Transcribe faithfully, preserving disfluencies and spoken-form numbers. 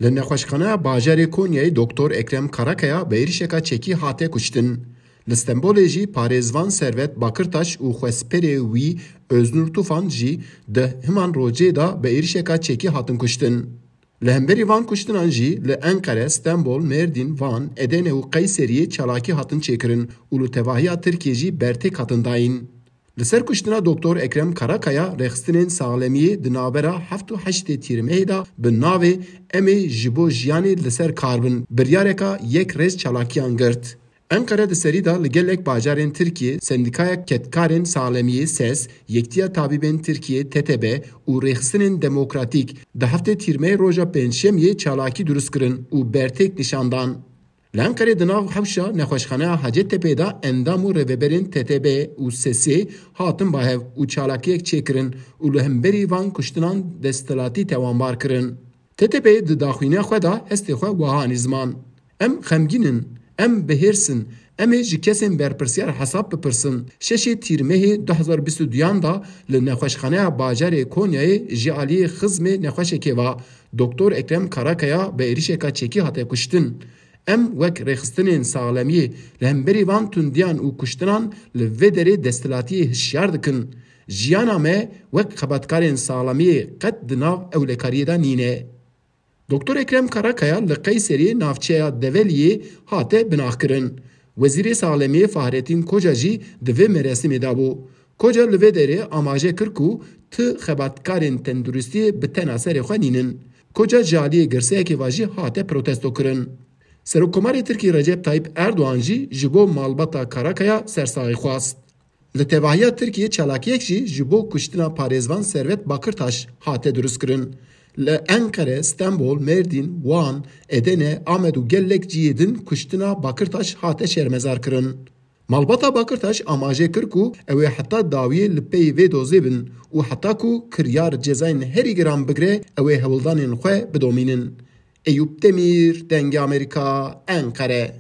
Li nexweşxaneya bajarê Konyayê Doktor Ekrem Karakaya bi êrişeka çekî hate kuştin. Li Stenbolê jî parêzvan Servet Bakirtaş û xwespêrê wî Öznur Tufan jî di himan rojê de bi êrişeka çekî hatin kuştin. Li hemberî van kuştinan jî li Enqere, Stenbol, Mêrdîn, Van, Edene û Qeyseriyê çalakî hatin çêkirin û li tevahiya Tirkiyê jî bertêk hatin dayîn. Li ser kuştina Doktor Ekrem Karakaya rêxistinên saxlemiyê di navbera heft û heştê Tîrmehê de bi navê Em ê ji bo jiyanê li ser kar bin biryareka yek rêz çalakiyan girt. Enqere di serî de li gelek bajarên Tirkiyê sendîkaya kedkarên saxlemiyê ses, Yektiya Tabîbên Tirkiyê, T T B, û rêxistinên demokratîk di heftê Tîrmehê roja pêncşemiyê çalakî dirust kirin û bertêk nîşan dan. Li Enqerê di nav hewşa nexweşxaneya Hacettepe de endam û rêveberên T T B û sesê hatin bahev û çalakiyek çêkirin û li hemberî van kuştinan desthilatî tewanbar kirin. T T P di daxuyaniya xwe de hestê xwe wiha anî ziman: Em xemgîn in, em bi hêrs in, em ê ji kesên berpirsiyar hesab bipirsin. Şeşê Tîrmehê du hezar bîst û duyan de li nexweşxaneya bajarê Konyayê ji aliyê xizmê nexweşekê ve Doktor Ekrem Karakaya bi êrişeka çekî hate kuştin. Em wek rêxistinên saxlemiyê li hemberî van tundiyan û kuştinan li vê derê desthilatiyê hişyar dikin. Jiyana me wek xebatkarên saxlemiyê qet di nav ewlekariyê de nîne. Doktor Ekrem Karakaya li Qeyseriyê navçeya Develiyê hate binaxkirin. Wezîrê Saxlemiyê Fahrettin Koca jî di vê merasîmê de bû. Koca li vê derê amaje kir ku ti xebatkarên tenduristiyê bi tena serê xwe nînin. Koca ji aliyê girseyekê ve jî hate protesto kirin. Serokkomarê Tirkî Recep Tayyip Erdogan jî ji bo malbata Karakaya sersaxî xwest. Li tevahiya Tirkiyê çalakiyek jî ji bo kuştina parêzvan Servet Bakirtaş hate dirustkirin. Li Enqere, Stenbol, Mêrdîn, Wan, Edene, Amed û gelek cihê din kuştina Bakirtaş hate şermezarkirin. Malbata Bakirtaş amaje kir ku ew ê heta dawiyê li pey vê dozê bin û heta ku kiryar cezayên herî giran bigire, ew ê hewldanên xwe bidomînin. Eyûp Demîr, Dengê Amerîka, Enqere.